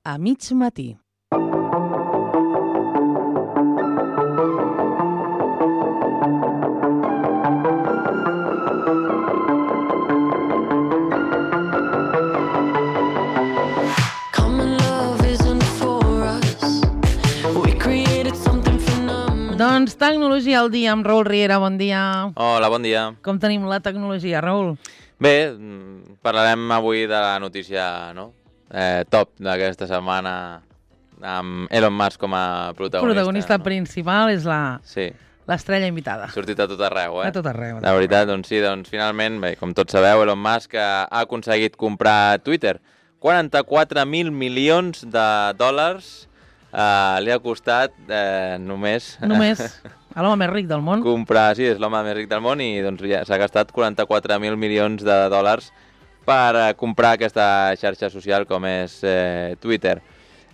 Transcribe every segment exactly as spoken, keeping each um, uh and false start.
a mig matí. Doncs tecnologia al dia amb Raül Riera, bon dia. Hola, bon dia. Com tenim la tecnologia, Raül? Bé, parlarem avui de la notícia, no? Eh, top d'aquesta setmana amb Elon Musk com a protagonista. Protagonista no? principal és la... Sí. L'estrella invitada. Ha sortit a tot arreu, eh? A tot arreu. La veritat, doncs sí, doncs finalment, bé, com tots sabeu, Elon Musk ha aconseguit comprar Twitter. quaranta-quatre mil milions de dòlars uh, li ha costat eh, només... Només a l'home més ric del món. Comprar, sí, és l'home més ric del món i doncs ja s'ha gastat quaranta-quatre mil milions de dòlars per uh, comprar aquesta xarxa social com és eh, Twitter.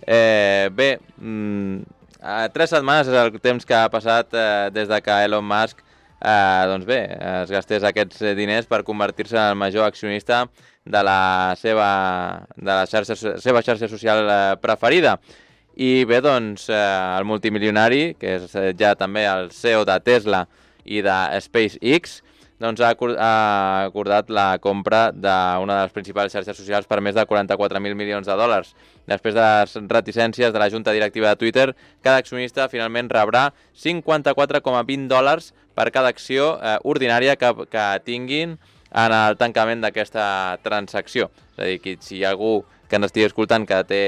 Eh, bé, mm, a tres setmanes és el temps que ha passat eh, des de que Elon Musk eh, doncs bé, es gastés aquests diners per convertir-se en el major accionista de la seva, de la xarxa, seva xarxa social eh, preferida. I bé, doncs, eh, el multimilionari, que és eh, ja també el C E O de Tesla i de SpaceX, doncs ha, acord, ha acordat la compra d'una de les principals xarxes socials per més de quaranta-quatre mil milions de dòlars. Després de les reticències de la junta directiva de Twitter, cada accionista finalment rebrà cinquanta-quatre coma vint dòlars per cada acció eh, ordinària que, que tinguin en el tancament d'aquesta transacció. És a dir, que si hi ha algú que ens estigui escoltant que té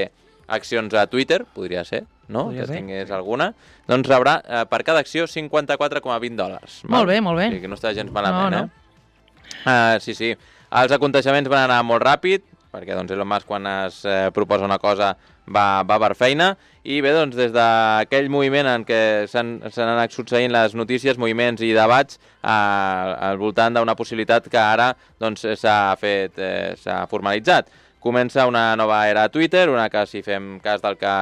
accions a Twitter, podria ser, no? Podria que ser. tingués alguna, doncs rebrà eh, per cada acció cinquanta-quatre coma vint dòlars. Molt bé, molt bé. O sigui que no està gens malament, no, no. eh? Uh, sí, sí. Els aconteixements van anar molt ràpid, perquè doncs, Elon Musk quan es eh, proposa una cosa va, va per feina, i bé, doncs des d'aquell moviment en què s'han anat succeint les notícies, moviments i debats eh, al voltant d'una possibilitat que ara doncs, s'ha fet, eh, s'ha formalitzat. Comença una nova era a Twitter, una que, si fem cas del que,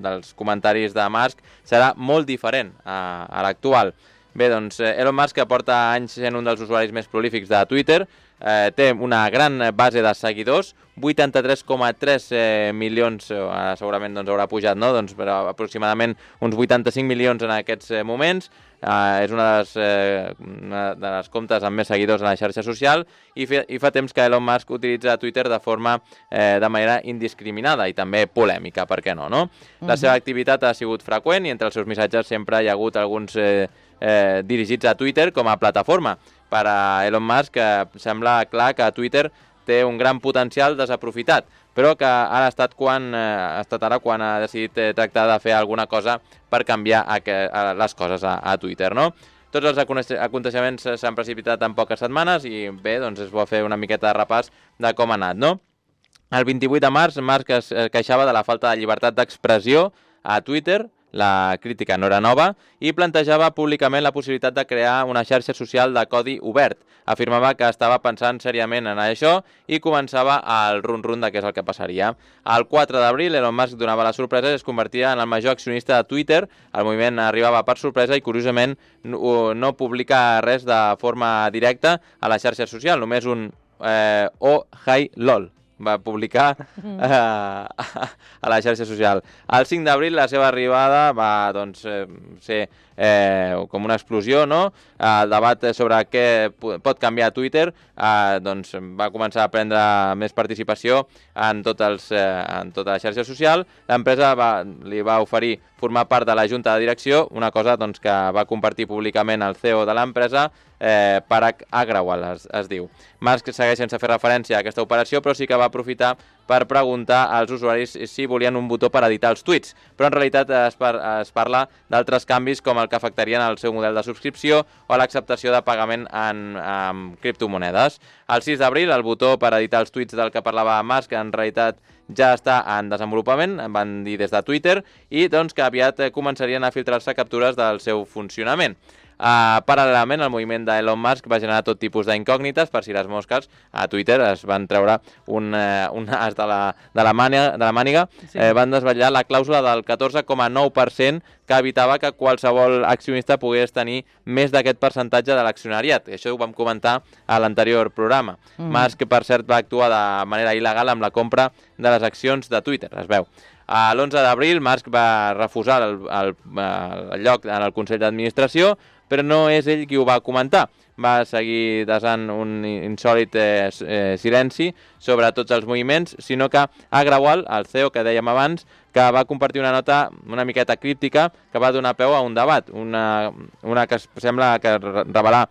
dels comentaris de Musk, serà molt diferent a, a l'actual. Bé, doncs, Elon Musk, que porta anys sent un dels usuaris més prolífics de Twitter, eh, té una gran base de seguidors, vuitanta-tres coma tres eh, milions, eh, segurament doncs, haurà pujat, no? Doncs, però aproximadament uns vuitanta-cinc milions en aquests eh, moments. Uh, és una de les, eh, una de les comptes amb més seguidors en la xarxa social i, fe, i fa temps que Elon Musk utilitza Twitter de forma eh, de manera indiscriminada i també polèmica, per què no, no? Uh-huh. La seva activitat ha sigut freqüent i entre els seus missatges sempre hi ha hagut alguns eh, eh, dirigits a Twitter com a plataforma. Per a Elon Musk eh, sembla clar que Twitter té un gran potencial desaprofitat, però que ha estat, quan, eh, ha estat ara quan ha decidit eh, tractar de fer alguna cosa per canviar a que, a les coses a, a Twitter, no? Tots els aconteixements s'han precipitat en poques setmanes i bé, doncs es vol fer una miqueta de repàs de com ha anat, no? El vint-i-vuit de març, Musk es queixava de la falta de llibertat d'expressió a Twitter, la crítica no era nova, i plantejava públicament la possibilitat de crear una xarxa social de codi obert. Afirmava que estava pensant seriament en això i començava el run-run de què és el que passaria. El quatre d'abril, Elon Musk donava la sorpresa i es convertia en el major accionista de Twitter. El moviment arribava per sorpresa i, curiosament, no, no publica res de forma directa a la xarxa social, només un eh, oh, hi, lol va publicar eh, a la xarxa social. El cinc d'abril la seva arribada va doncs, eh, ser eh, com una explosió, no? El debat sobre què pot canviar Twitter eh, doncs, va començar a prendre més participació en, tot els, eh, en tota la xarxa social. L'empresa va, li va oferir formar part de la junta de direcció, una cosa doncs, que va compartir públicament el C E O de l'empresa, eh, Parag Agrawal, es, es diu. Musk segueix sense fer referència a aquesta operació, però sí que va aprofitar per preguntar als usuaris si volien un botó per editar els tuits, però en realitat es, par es parla d'altres canvis com el que afectarien el seu model de subscripció o l'acceptació de pagament en, en criptomonedes. El sis d'abril, el botó per editar els tuits del que parlava Musk en realitat ja està en desenvolupament, van dir des de Twitter, i doncs que aviat començarien a filtrar-se captures del seu funcionament. Uh, paral·lelament, el moviment d'Elon Musk va generar tot tipus d'incògnites per si les mosques a Twitter es van treure un, uh, un as de la, de la, màniga, de la màniga, sí. eh, van desvetllar la clàusula del catorze coma nou per cent que evitava que qualsevol accionista pogués tenir més d'aquest percentatge de l'accionariat. Això ho vam comentar a l'anterior programa. Mm. Musk, per cert, va actuar de manera il·legal amb la compra de les accions de Twitter, es veu. A l'onze d'abril, Musk va refusar el, el, el lloc en el Consell d'Administració, però no és ell qui ho va comentar. Va seguir desant un insòlit eh, eh, silenci sobre tots els moviments, sinó que Agrawal, el C E O que dèiem abans, que va compartir una nota una miqueta críptica que va donar peu a un debat, una, una que sembla que revelar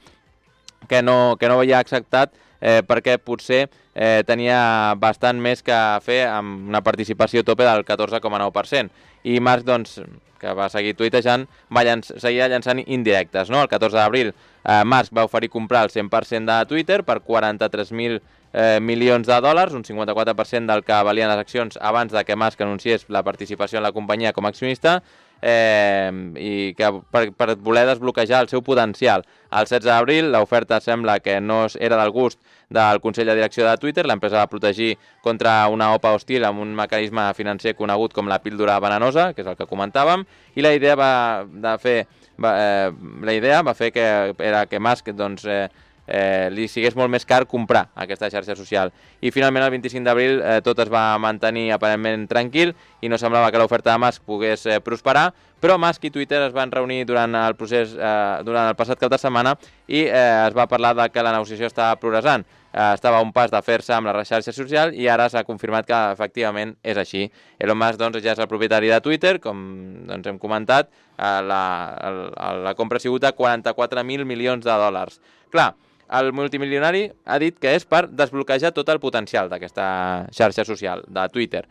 que no, que no havia acceptat eh, perquè potser eh, tenia bastant més que fer amb una participació tope del catorze coma nou per cent. I Musk, doncs, que va seguir tuitejant, va llanç seguir llançant indirectes. No? El catorze d'abril eh, Musk va oferir comprar el cent per cent de Twitter per quaranta-tres mil eh, milions de dòlars, un cinquanta-quatre per cent del que valien les accions abans de que Musk anunciés la participació en la companyia com a accionista, eh, i que per, per voler desbloquejar el seu potencial. El setze d'abril l'oferta sembla que no era del gust del Consell de Direcció de Twitter. L'empresa va protegir contra una O P A hostil amb un mecanisme financer conegut com la píldora venenosa, que és el que comentàvem, i la idea va, de fer, va, eh, la idea va fer que, era que Musk doncs, eh, eh, li sigués molt més car comprar aquesta xarxa social. I finalment el vint-i-cinc d'abril eh, tot es va mantenir aparentment tranquil i no semblava que l'oferta de Musk pogués eh, prosperar, però Musk i Twitter es van reunir durant el procés eh, durant el passat cap de setmana i eh, es va parlar de que la negociació estava progressant. Eh, estava a un pas de fer-se amb la xarxa social i ara s'ha confirmat que efectivament és així. Elon Musk doncs, ja és el propietari de Twitter, com doncs, hem comentat, eh, la, la, la compra ha sigut de quaranta-quatre mil milions de dòlars. Clar, el multimilionari ha dit que és per desbloquejar tot el potencial d'aquesta xarxa social, de Twitter.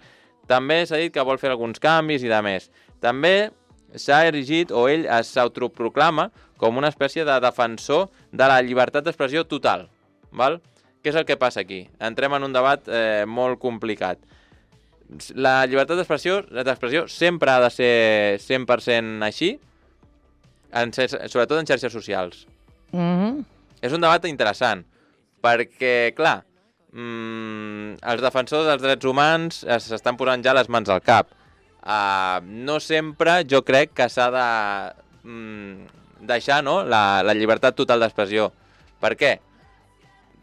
També s'ha dit que vol fer alguns canvis i de més. També s'ha erigit, o ell s'autoproclama, com una espècie de defensor de la llibertat d'expressió total. Val? Què és el que passa aquí? Entrem en un debat eh, molt complicat. La llibertat d'expressió sempre ha de ser cent per cent així, en, sobretot en xarxes socials. Mhm. És un debat interessant, perquè, clar, mmm, els defensors dels drets humans s'estan posant ja les mans al cap. Uh, no sempre jo crec que s'ha de mm, deixar no, la, la llibertat total d'expressió. Per què?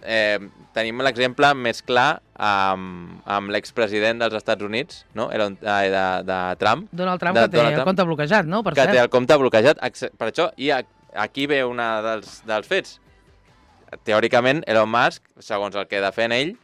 Eh, tenim l'exemple més clar amb, amb l'expresident dels Estats Units, no? de, de, de Trump. Donald Trump, de, que té Donald el Trump, compte bloquejat, no? Per que cert. té el compte bloquejat. Per això, i aquí ve un dels, dels fets. Teòricament, Elon Musk, segons el que defèn ell,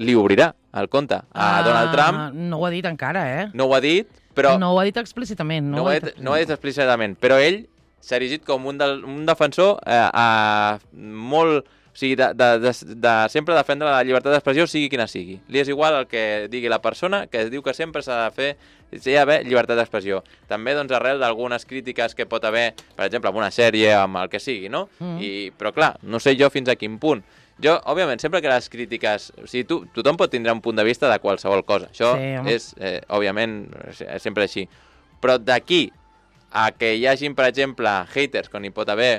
li obrirà el compte a Ah, Donald Trump. no ho ha dit encara, eh? No ho ha dit, però... No ho ha dit explícitament. No, no, ho ha dit, no ho ha dit explícitament, però ell s'ha erigit com un, del, un defensor eh, a, molt... O sigui, de, de, de, de sempre defendre la llibertat d'expressió, sigui quina sigui. Li és igual el que digui la persona, que es diu que sempre s'ha de fer, s'ha d'haver llibertat d'expressió. També, doncs, arrel d'algunes crítiques que pot haver, per exemple, amb una sèrie, amb el que sigui, no? Mm. I, però, clar, no sé jo fins a quin punt. Jo, òbviament, sempre que les crítiques... O sigui, tu, tothom pot tindre un punt de vista de qualsevol cosa. Això sí, és, eh, òbviament, sempre així. Però d'aquí a que hi hagin, per exemple, haters, quan hi pot haver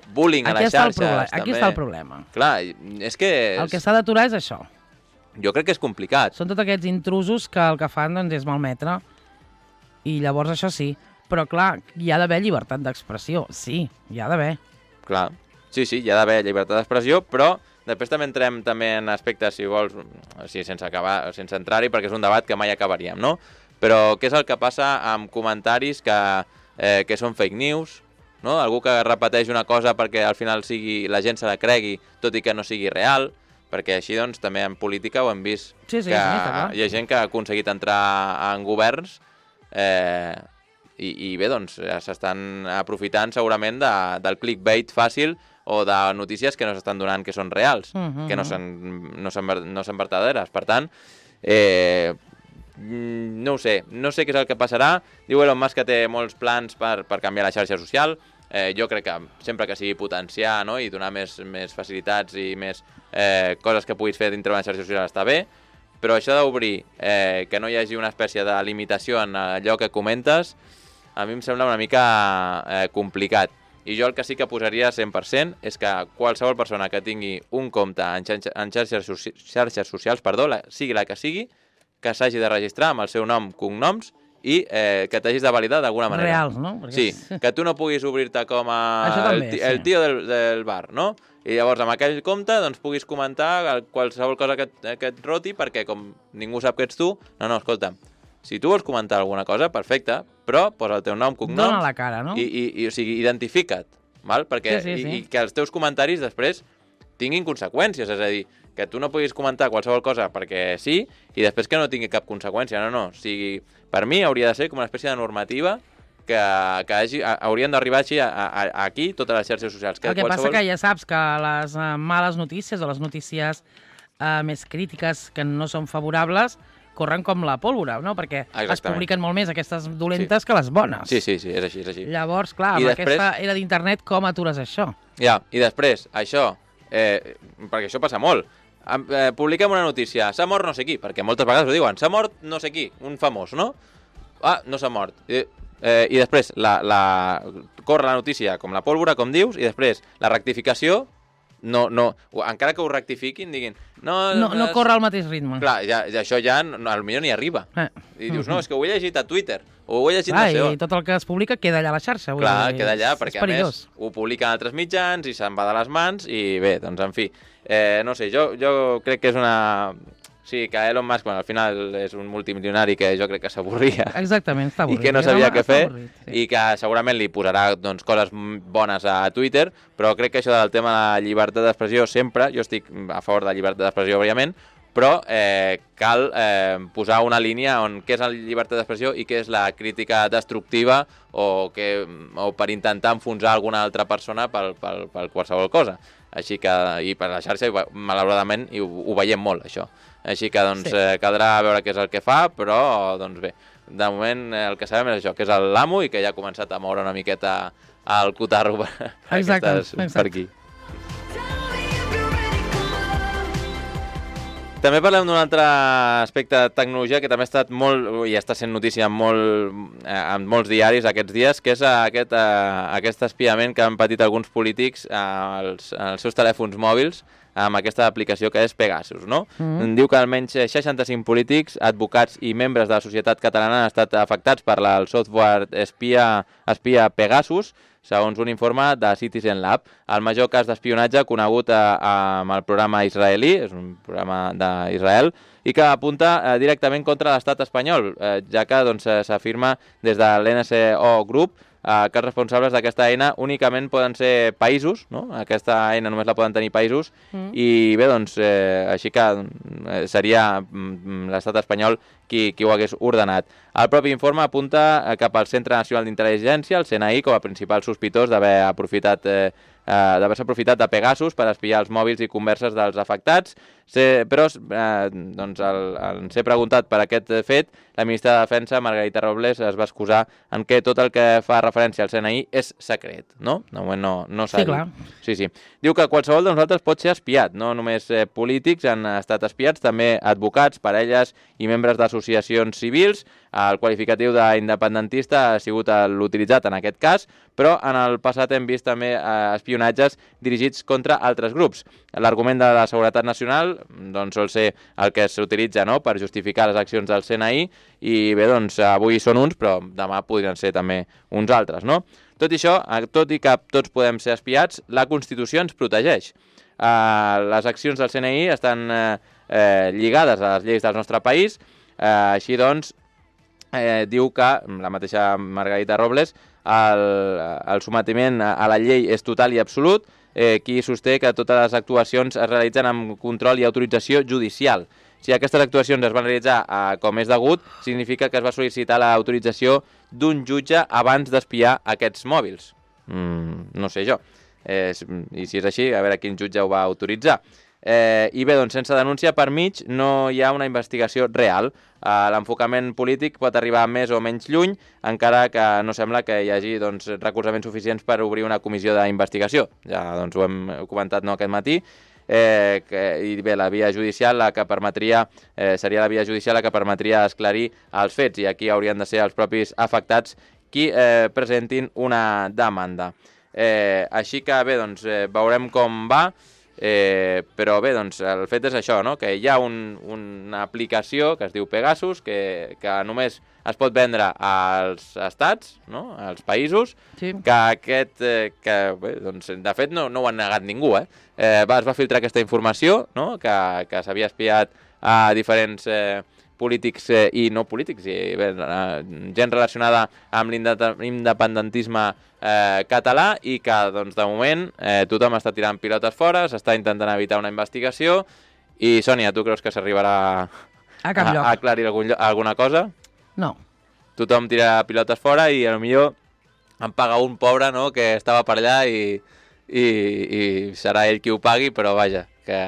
bullying aquí a les xarxes... Aquí també. està el problema. Clar, és que... És... El que s'ha d'aturar és això. Jo crec que és complicat. Són tots aquests intrusos que el que fan doncs, és malmetre. I llavors això sí. Però clar, hi ha d'haver llibertat d'expressió. Sí, hi ha d'haver. Clar, sí, sí, hi ha d'haver llibertat d'expressió, però després també entrem també en aspectes, si vols, o sigui, sense, acabar, sense entrar-hi, perquè és un debat que mai acabaríem, no? Però què és el que passa amb comentaris que, eh, que són fake news, no? Algú que repeteix una cosa perquè al final sigui, la gent se la cregui, tot i que no sigui real, perquè així doncs també en política ho hem vist, sí, sí, que sí, hi ha gent que ha aconseguit entrar en governs eh, i, i bé, doncs s'estan aprofitant segurament de, del clickbait fàcil o de notícies que no s'estan donant que són reals, uh -huh. que no són, no, són, no són verdaderes. Per tant, eh, no ho sé, no sé què és el que passarà. Diu Elon Musk que té molts plans per, per canviar la xarxa social. Eh, jo crec que sempre que sigui potenciar, no? I donar més, més facilitats i més eh, coses que puguis fer dintre d'una xarxa social està bé, però això d'obrir eh, que no hi hagi una espècie de limitació en allò que comentes, a mi em sembla una mica eh, complicat. I jo el que sí que posaria cent per cent és que qualsevol persona que tingui un compte en, xarxa, en xarxes, xarxes socials, perdó, la, sigui la que sigui, que s'hagi de registrar amb el seu nom, cognoms i eh, que t'hagis de validar d'alguna manera. Reals, no? Perquè... Sí, que tu no puguis obrir-te com a també, el, sí. el tio del, del bar, no? I llavors amb aquell compte doncs, puguis comentar qualsevol cosa que, que et roti perquè com ningú sap que ets tu, no, no, escolta'm, si tu vols comentar alguna cosa, perfecte, però posa el teu nom, cognoms... Dóna la cara, no? I, i, i o sigui, identifica't, val? Perquè, sí, sí, sí. I, i que els teus comentaris després tinguin conseqüències, és a dir, que tu no puguis comentar qualsevol cosa perquè sí i després que no tingui cap conseqüència, no, no. O sigui, per mi hauria de ser com una espècie de normativa que, que hagi, haurien d'arribar així a, a, a aquí totes les xarxes socials. Que el que qualsevol... passa que ja saps que les uh, males notícies o les notícies uh, més crítiques que no són favorables corren com la pólvora, no? Perquè Exactament. Es publiquen molt més aquestes dolentes sí. que les bones. Sí, sí, sí, és així, és així. Llavors, clar, I amb després... aquesta era d'internet, com atures això? Ja, i després, això, eh, perquè això passa molt, eh, publiquem una notícia, s'ha mort no sé qui, perquè moltes vegades ho diuen, s'ha mort no sé qui, un famós, no? Ah, no s'ha mort. I, eh, i després la, la... corre la notícia com la pólvora, com dius, i després la rectificació, no, no, encara que ho rectifiquin, diguin... No, no, no corre al mateix ritme. Clar, ja, ja, això ja no, potser ni arriba. Eh. I dius, no, és que ho he llegit a Twitter, o ho he llegit clar, no sé on. I tot el que es publica queda allà a la xarxa. Vull Clar, dir, queda allà, és, perquè és a més ho publiquen altres mitjans i se'n va de les mans, i bé, doncs en fi. Eh, no sé, jo, jo crec que és una... Sí, que Elon Musk, bueno, al final és un multimilionari que jo crec que s'avorria. Exactament, està avorrit. I que no sabia què fer, avorrit, sí. I que segurament li posarà doncs, coses bones a Twitter, però crec que això del tema de la llibertat d'expressió sempre, jo estic a favor de la llibertat d'expressió, òbviament, però eh, cal eh, posar una línia on què és la llibertat d'expressió i què és la crítica destructiva o, que, o per intentar enfonsar alguna altra persona per, per, per qualsevol cosa. Així que, i per la xarxa, malauradament, i ho, ho veiem molt, això. Així que, doncs, sí. eh, caldrà veure què és el que fa, però, doncs bé, de moment el que sabem és això, que és l'amo i que ja ha començat a moure una miqueta el cotarro per, per, exacte, aquestes, exacte. per aquí. També parlem d'un altre aspecte de tecnologia que també ha estat molt, i està sent notícia en, molt, eh, en molts diaris aquests dies, que és aquest, eh, aquest espiament que han patit alguns polítics eh, als, als seus telèfons mòbils amb aquesta aplicació que és Pegasus, no? Mm. Diu que almenys seixanta-cinc polítics, advocats i membres de la societat catalana han estat afectats per la, el software espia, espia Pegasus, segons un informe de Citizen Lab. El major cas d'espionatge conegut a, a, amb el programa israelí, és un programa d'Israel, i que apunta eh, directament contra l'estat espanyol, eh, ja que doncs, s'afirma des de l'N S O Group eh, que els responsables d'aquesta eina únicament poden ser països, no? Aquesta eina només la poden tenir països, mm. i bé, doncs, eh, així que eh, seria mm, l'estat espanyol qui, qui ho hagués ordenat. El propi informe apunta cap al Centre Nacional d'Intel·ligència, el C N I, com a principal sospitós d'haver aprofitat eh, eh, d'haver-se aprofitat de Pegasus per espiar els mòbils i converses dels afectats, Se, però eh, doncs, al, al ser preguntat per aquest fet, la ministra de Defensa, Margarita Robles, es va excusar en què tot el que fa referència al C N I és secret, no? De moment no, no s'ha sí, dit. clar. Sí, sí. Diu que qualsevol de nosaltres pot ser espiat, no només eh, polítics han estat espiats, també advocats, parelles i membres d'associacions civils. El qualificatiu d'independentista ha sigut l'utilitzat en aquest cas, però en el passat hem vist també eh, espionatges dirigits contra altres grups. L'argument de la seguretat nacional doncs, sol ser el que s'utilitza, no?, per justificar les accions del C N I, i bé, doncs avui són uns, però demà podrien ser també uns altres, no? Tot i això, tot i que tots podem ser espiats, la Constitució ens protegeix. Eh, les accions del C N I estan eh, eh, lligades a les lleis del nostre país, eh, així doncs, eh, diu que, la mateixa Margarita Robles, el, el sometiment a la llei és total i absolut, eh, qui sosté que totes les actuacions es realitzen amb control i autorització judicial. Si aquestes actuacions es van realitzar eh, com és degut, significa que es va sol·licitar l'autorització d'un jutge abans d'espiar aquests mòbils. Mm, no sé jo. Eh, I si és així, a veure quin jutge ho va autoritzar. Eh, I bé, doncs, sense denúncia per mig no hi ha una investigació real. Eh, L'enfocament polític pot arribar més o menys lluny, encara que no sembla que hi hagi doncs, recolzaments suficients per obrir una comissió d'investigació. Ja doncs, ho hem comentat no, aquest matí. Eh, que, i bé, la via judicial la que permetria, eh, seria la via judicial la que permetria esclarir els fets, i aquí haurien de ser els propis afectats qui eh, presentin una demanda. Eh, així que bé, doncs, eh, veurem com va. Eh, però bé, doncs el fet és això, no? Que hi ha un, una aplicació que es diu Pegasus, que, que només es pot vendre als estats, no? Als països, Sí. que aquest, eh, que bé, doncs, de fet no, no ho ha negat ningú, eh? eh va, es va filtrar aquesta informació, no? Que, que s'havia espiat a diferents eh, polítics eh, i no polítics, i bé, gent relacionada amb l'independentisme eh, català, i que doncs, de moment eh, tothom està tirant pilotes fora, s'està intentant evitar una investigació. I Sònia, tu creus que s'arribarà A cap a, lloc. a aclarir algun, lloc- alguna cosa? No. Tothom tira pilotes fora i potser em paga un pobre, no?, que estava per allà i, i, i serà ell qui ho pagui, però vaja, que,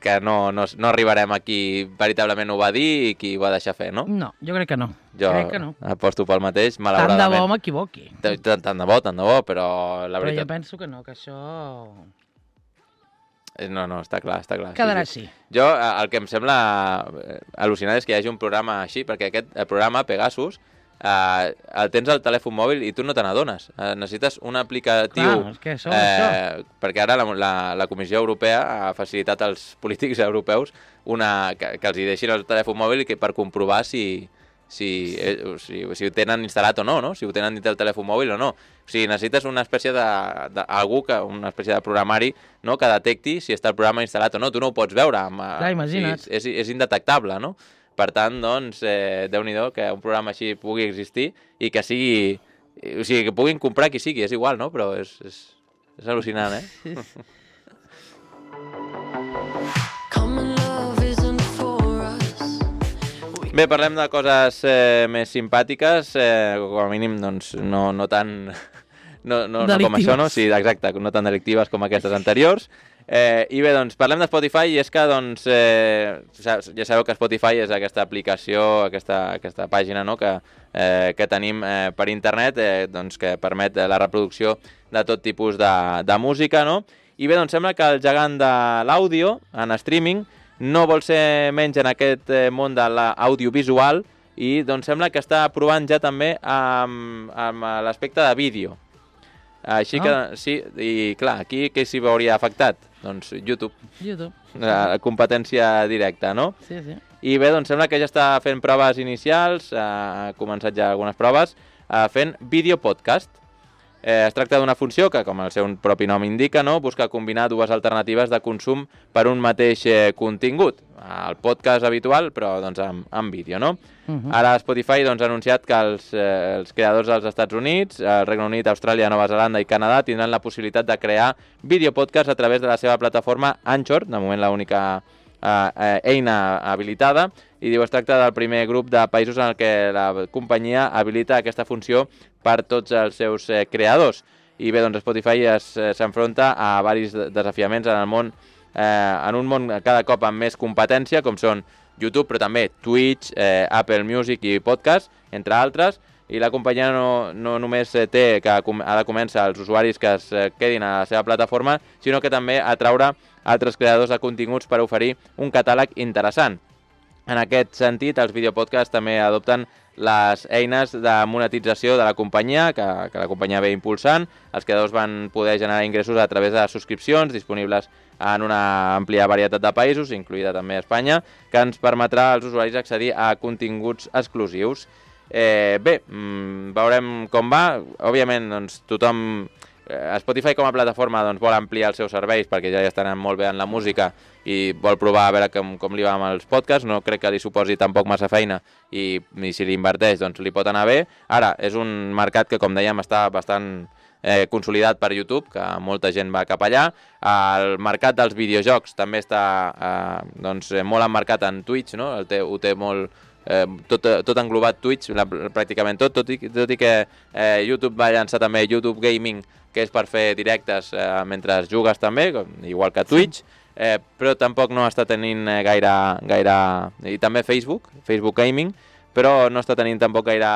que no, no, no arribarem a qui veritablement ho va dir i qui ho va deixar fer, no? No, jo crec que no. Jo crec que no. aposto pel mateix, Tant de malauradament. bo m'equivoqui. Tant, tant, tant de bo, tant de bo, però la Però jo veritat... penso que no, que això Eh, No, no, està clar, està clar. quedarà sí, sí. així. Jo, eh, el que em sembla eh, al·lucinant és que hi hagi un programa així, perquè aquest el programa, Pegasus, eh, el tens al telèfon mòbil i tu no te n'adones. Eh, necessites un aplicatiu... Clar, és que això, això. Perquè ara la, la, la Comissió Europea ha facilitat als polítics europeus una, que, que els hi deixin el telèfon mòbil i que per comprovar si, si, eh, si, si ho tenen instal·lat o no, no? Si ho tenen dintre el telèfon mòbil o no. O sigui, necessites una espècie de, de algú que, una espècie de programari, no?, que detecti si està el programa instal·lat o no. Tu no ho pots veure. Amb, Clar, imagina't. O sigui, és, és indetectable, no? Per tant, doncs, eh, Déu-n'hi-do que un programa així pugui existir i que sigui... O sigui, que puguin comprar qui sigui, és igual, no? Però és, és, és al·lucinant, eh? Bé, parlem de coses eh, més simpàtiques, eh, com a mínim, doncs, no, no tan... No, no, no com això, no? Sí, exacte, no tan delictives com aquestes anteriors. Eh, I bé, doncs, parlem de Spotify, i és que, doncs, eh, ja sabeu que Spotify és aquesta aplicació, aquesta, aquesta pàgina, no?, que, eh, que tenim eh, per internet, eh, doncs, que permet la reproducció de tot tipus de, de música, no? I bé, doncs, sembla que el gegant de l'àudio, en streaming, no vol ser menys en aquest eh, món de l'audiovisual, i doncs sembla que està provant ja també amb, amb l'aspecte de vídeo. Així que, Ah. sí, i clar, aquí què s'hi veuria afectat? Doncs YouTube, YouTube. la competència directa, no? Sí, sí. I bé, doncs sembla que ja està fent proves inicials, eh, ha començat ja algunes proves, eh, fent videopodcast. Eh, es tracta d'una funció que, com el seu propi nom indica, no?, busca combinar dues alternatives de consum per un mateix eh, contingut. El podcast habitual, però doncs, amb, amb vídeo, no? Uh -huh. Ara Spotify doncs, ha anunciat que els, eh, els creadors dels Estats Units, el Regne Unit, Austràlia, Nova Zelanda i Canadà tindran la possibilitat de crear videopodcasts a través de la seva plataforma Anchor, de moment l'única eh, eh, eina habilitada, i diu es tracta del primer grup de països en el que la companyia habilita aquesta funció per tots els seus eh, creadors. I bé, doncs Spotify s'enfronta a diversos desafiaments en el món, eh, en un món cada cop amb més competència, com són YouTube, però també Twitch, eh, Apple Music i Podcast, entre altres, i la companyia no, no només té que ha de començar els usuaris que es quedin a la seva plataforma, sinó que també atraure altres creadors de continguts per oferir un catàleg interessant. En aquest sentit, els videopodcasts també adopten les eines de monetització de la companyia, que, que la companyia ve impulsant. Els creadors van poder generar ingressos a través de subscripcions disponibles en una àmplia varietat de països, incloïda també Espanya, que ens permetrà als usuaris accedir a continguts exclusius. Eh, bé, mmm, veurem com va. Òbviament, doncs, tothom... Eh, Spotify com a plataforma doncs, vol ampliar els seus serveis perquè ja estan molt bé en la música i vol provar a veure com, com li va amb els podcasts. No crec que li suposi tampoc massa feina i, i si li inverteix doncs li pot anar bé. Ara, és un mercat que, com dèiem, està bastant eh, consolidat per YouTube, que molta gent va cap allà. El mercat dels videojocs també està eh, doncs, molt emmarcat en Twitch, no? El té, ho té molt... Eh, tot, tot englobat Twitch, la, pràcticament tot, tot i, tot i que eh, YouTube va llançar també YouTube Gaming, que és per fer directes eh, mentre jugues també, com, igual que Twitch, eh, però tampoc no està tenint eh, gaire, gaire... I també Facebook, Facebook Gaming, però no està tenint tampoc gaire,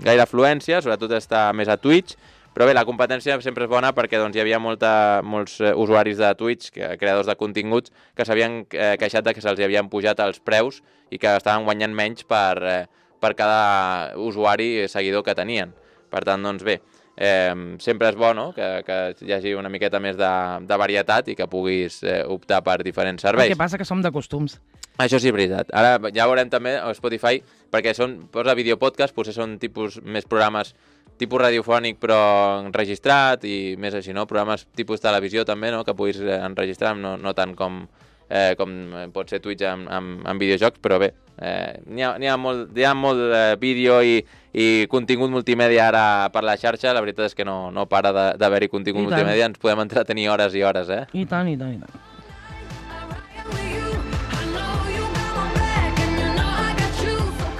gaire afluència, sobretot està més a Twitch. Però bé, la competència sempre és bona perquè doncs, hi havia molta, molts eh, usuaris de Twitch, que, creadors de continguts, que s'havien eh, queixat de que se'ls havien pujat els preus i que estaven guanyant menys per, eh, per cada usuari seguidor que tenien. Per tant, doncs bé, eh, sempre és bo, no?, que, que hi hagi una miqueta més de, de varietat i que puguis eh, optar per diferents serveis. El que passa que som de costums. Això sí, és veritat. Ara ja veurem també a Spotify, perquè són, posa videopodcast, potser són tipus més programes tipus radiofònic però enregistrat i més així, no? Programes tipus televisió també, no?, que puguis enregistrar, no, no tant com, eh, com pot ser Twitch amb, amb, amb videojocs, però bé, eh, n'hi ha, n'hi ha molt, hi ha molt eh, vídeo i, i contingut multimèdia ara per la xarxa, la veritat és que no, no para d'haver-hi contingut multimèdia, ens podem entretenir hores i hores, eh? I tant, i tant, i tant.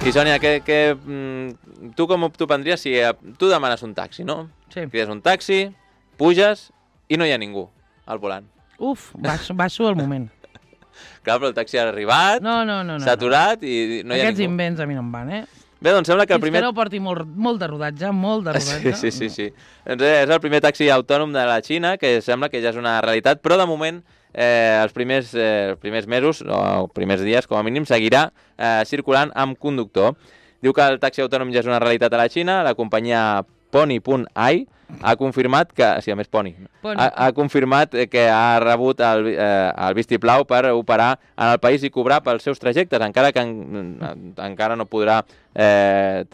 I Sònia, que, que, tu com t'ho prendries si tu demanes un taxi, no? Sí. Crides un taxi, puges i no hi ha ningú al volant. Uf, baixo, baixo al moment. Clar, però el taxi ha arribat, no, no, no, no, s'ha aturat i no hi ha Aquests ningú. invents a mi no em van, eh? Bé, doncs sembla que el primer... Fins que no porti molt, molt de rodatge, molt de rodatge. Sí, sí, sí, sí. Doncs és el primer taxi autònom de la Xina, que sembla que ja és una realitat, però de moment eh, els, primers, eh, els primers mesos, o els primers dies, com a mínim, seguirà eh, circulant amb conductor. Diu que el taxi autònom ja és una realitat a la Xina, la companyia Pony punt ai ha confirmat que... Sí, a més Pony. Pony. Ha, ha confirmat que ha rebut el, eh, el vistiplau per operar en el país i cobrar pels seus trajectes, encara que en, encara no podrà eh,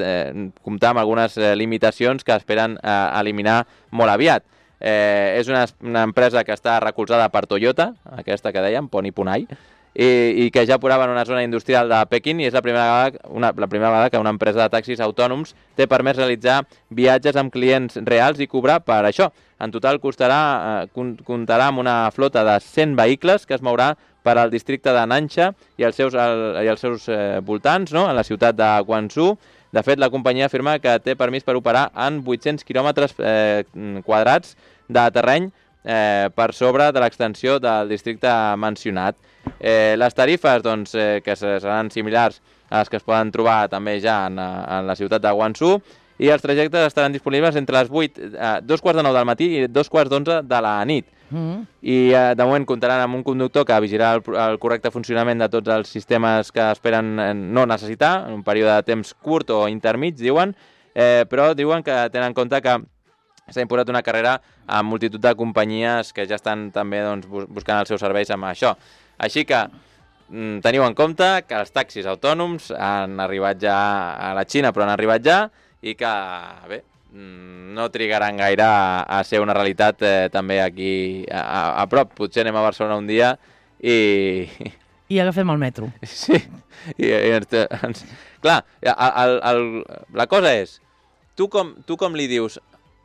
comptar amb algunes eh, limitacions que esperen eh, eliminar molt aviat. Eh, és una, una empresa que està recolzada per Toyota, aquesta que dèiem, Pony punt ai, i, i que ja operava en una zona industrial de Pequín i és la primera vegada, una, la primera vegada que una empresa de taxis autònoms té permès realitzar viatges amb clients reals i cobrar per això. En total costarà, eh, comptarà amb una flota de cent vehicles que es mourà per al districte de Nansha i els seus, el, i els seus eh, voltants, no?, en la ciutat de Guangzhou. De fet, la companyia afirma que té permís per operar en vuit-cents quilòmetres eh, quadrats de terreny eh, per sobre de l'extensió del districte mencionat. Eh, les tarifes, doncs, eh, que seran similars a les que es poden trobar també ja en, en la ciutat de Guangzhou, i els trajectes estaran disponibles entre les vuit, eh, dos quarts de nou del matí i dos quarts d'onze de la nit. Mm-hmm. I eh, de moment comptaran amb un conductor que vigirà el, el correcte funcionament de tots els sistemes que esperen no necessitar, en un període de temps curt o intermig, diuen, eh, però diuen que tenen en compte que s'ha imposat una carrera amb multitud de companyies que ja estan també doncs, buscant els seus serveis amb això. Així que mm, teniu en compte que els taxis autònoms han arribat ja a la Xina, però han arribat ja, i que, bé, no trigaran gaire a, a ser una realitat eh, també aquí a, a prop. Potser anem a Barcelona un dia i... I agafem el metro. Sí, i, i ens, ens... clar, el, el, la cosa és, tu com, tu com li dius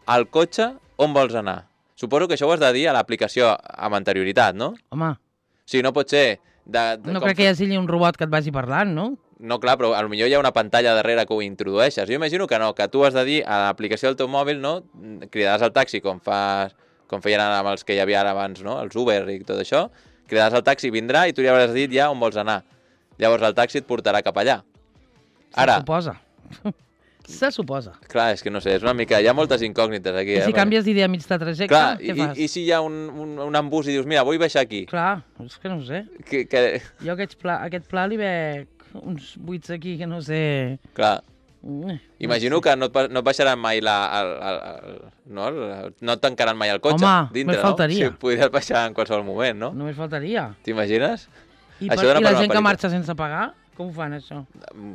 al cotxe on vols anar? Suposo que això ho has de dir a l'aplicació amb anterioritat, no? Home. O sigui, no pot ser... De, de, no com... crec que hi hagi un robot que et vagi parlant, no? No, clar, però potser hi ha una pantalla darrere que ho introdueixes. Jo imagino que no, que tu has de dir a l'aplicació del teu mòbil, no? Cridaràs al taxi com, fa, com feien amb els que hi havia ara abans, no? Els Uber i tot això. Cridaràs al taxi, vindrà i tu li hauràs dit ja on vols anar. Llavors el taxi et portarà cap allà. Ara... Se suposa. Se suposa. Clar, és que no sé, és una mica... Hi ha moltes incògnites aquí. I si eh? canvies d'idea mig de trajecte, clar, què i, fas? I, i si hi ha un, un, un embús i dius, mira, vull baixar aquí? Clar, és que no ho sé. Que, que... Jo aquest pla, aquest pla li veig uns buits aquí que no sé... Clar. Mm, Imagino no sé. que no et, no et baixaran mai la... El, el, el, no, el, no et tancaran mai el cotxe. Home, dintre, només faltaria. No? Si podries baixar en qualsevol moment, no? Només faltaria. T'imagines? I, per, i la gent que marxa sense pagar, com ho fan, això?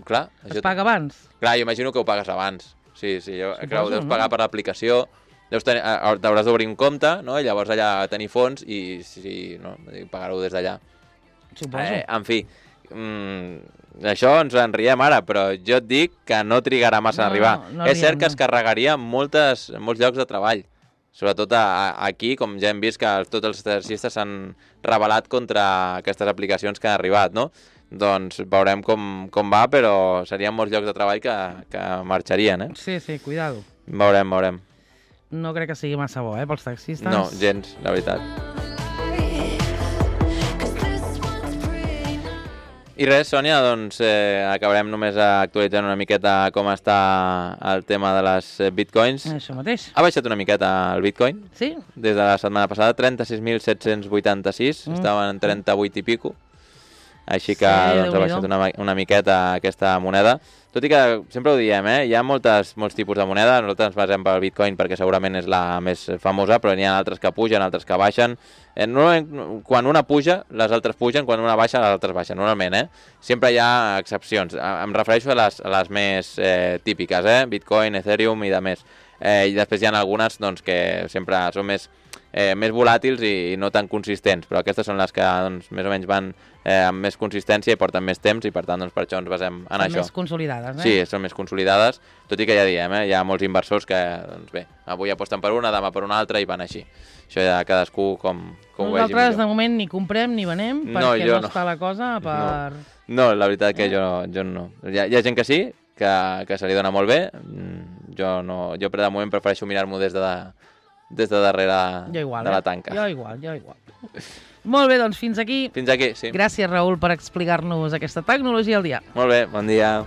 Clar. Es paga abans? Clar, jo imagino que ho pagues abans. Sí, sí, jo, Suposo, clar, ho deus no? pagar per l'aplicació, t'hauràs d'obrir un compte, no? I llavors allà tenir fons i sí, no? Pagar-ho des d'allà. Suposo. Eh, en fi, mm, això ens en riem ara, però jo et dic que no trigarà massa no, a arribar. No, no és cert riem, que no. es carregaria moltes, molts llocs de treball, sobretot a, a, aquí, com ja hem vist que tots els taxistes s'han rebel·lat contra aquestes aplicacions que han arribat, no? Doncs veurem com, com va, però serien molts llocs de treball que, que marxarien, eh? Sí, sí, cuidado. Veurem, veurem. No crec que sigui massa bo, eh, pels taxistes. No, gens, la veritat. I res, Sònia, doncs eh, acabarem només actualitzant una miqueta com està el tema de les bitcoins. Això mateix. Ha baixat una miqueta el bitcoin? Sí. Des de la setmana passada, trenta-sis mil set-cents vuitanta-sis, mm. estaven en trenta-vuit i pico. així que Sí, doncs, ha Déu-n'hi-do. baixat una, una miqueta aquesta moneda. Tot i que sempre ho diem, eh? hi ha moltes, molts tipus de moneda, nosaltres ens basem pel Bitcoin perquè segurament és la més famosa, però n'hi ha altres que pugen, altres que baixen. Eh, normalment, quan una puja, les altres pugen, quan una baixa, les altres baixen, normalment, eh? Sempre hi ha excepcions. Em refereixo a les, a les més eh, típiques, eh? Bitcoin, Ethereum i de més. Eh, I després hi ha algunes doncs, que sempre són més, eh, més volàtils i, i no tan consistents, però aquestes són les que doncs, més o menys van eh, amb més consistència i porten més temps i per tant doncs, per això ens basem en Són això. més consolidades, eh? Sí, són més consolidades, tot i que ja diem, eh, hi ha molts inversors que, doncs bé, avui aposten per una, demà per una altra i van així. Això ja cadascú com, com ho vegi Nosaltres millor. de moment ni comprem ni venem No, perquè jo no, no. està la cosa per... No, la veritat que jo, jo no. Hi ha, hi ha gent que sí, que, que se li dona molt bé. Jo no, jo de moment prefereixo mirar-m'ho des de, des de darrere Jo igual, de la eh? tanca. Jo igual, jo igual. Molt bé, doncs fins aquí. Fins aquí, sí. Gràcies, Raül, per explicar-nos aquesta tecnologia al dia. Molt bé, bon dia.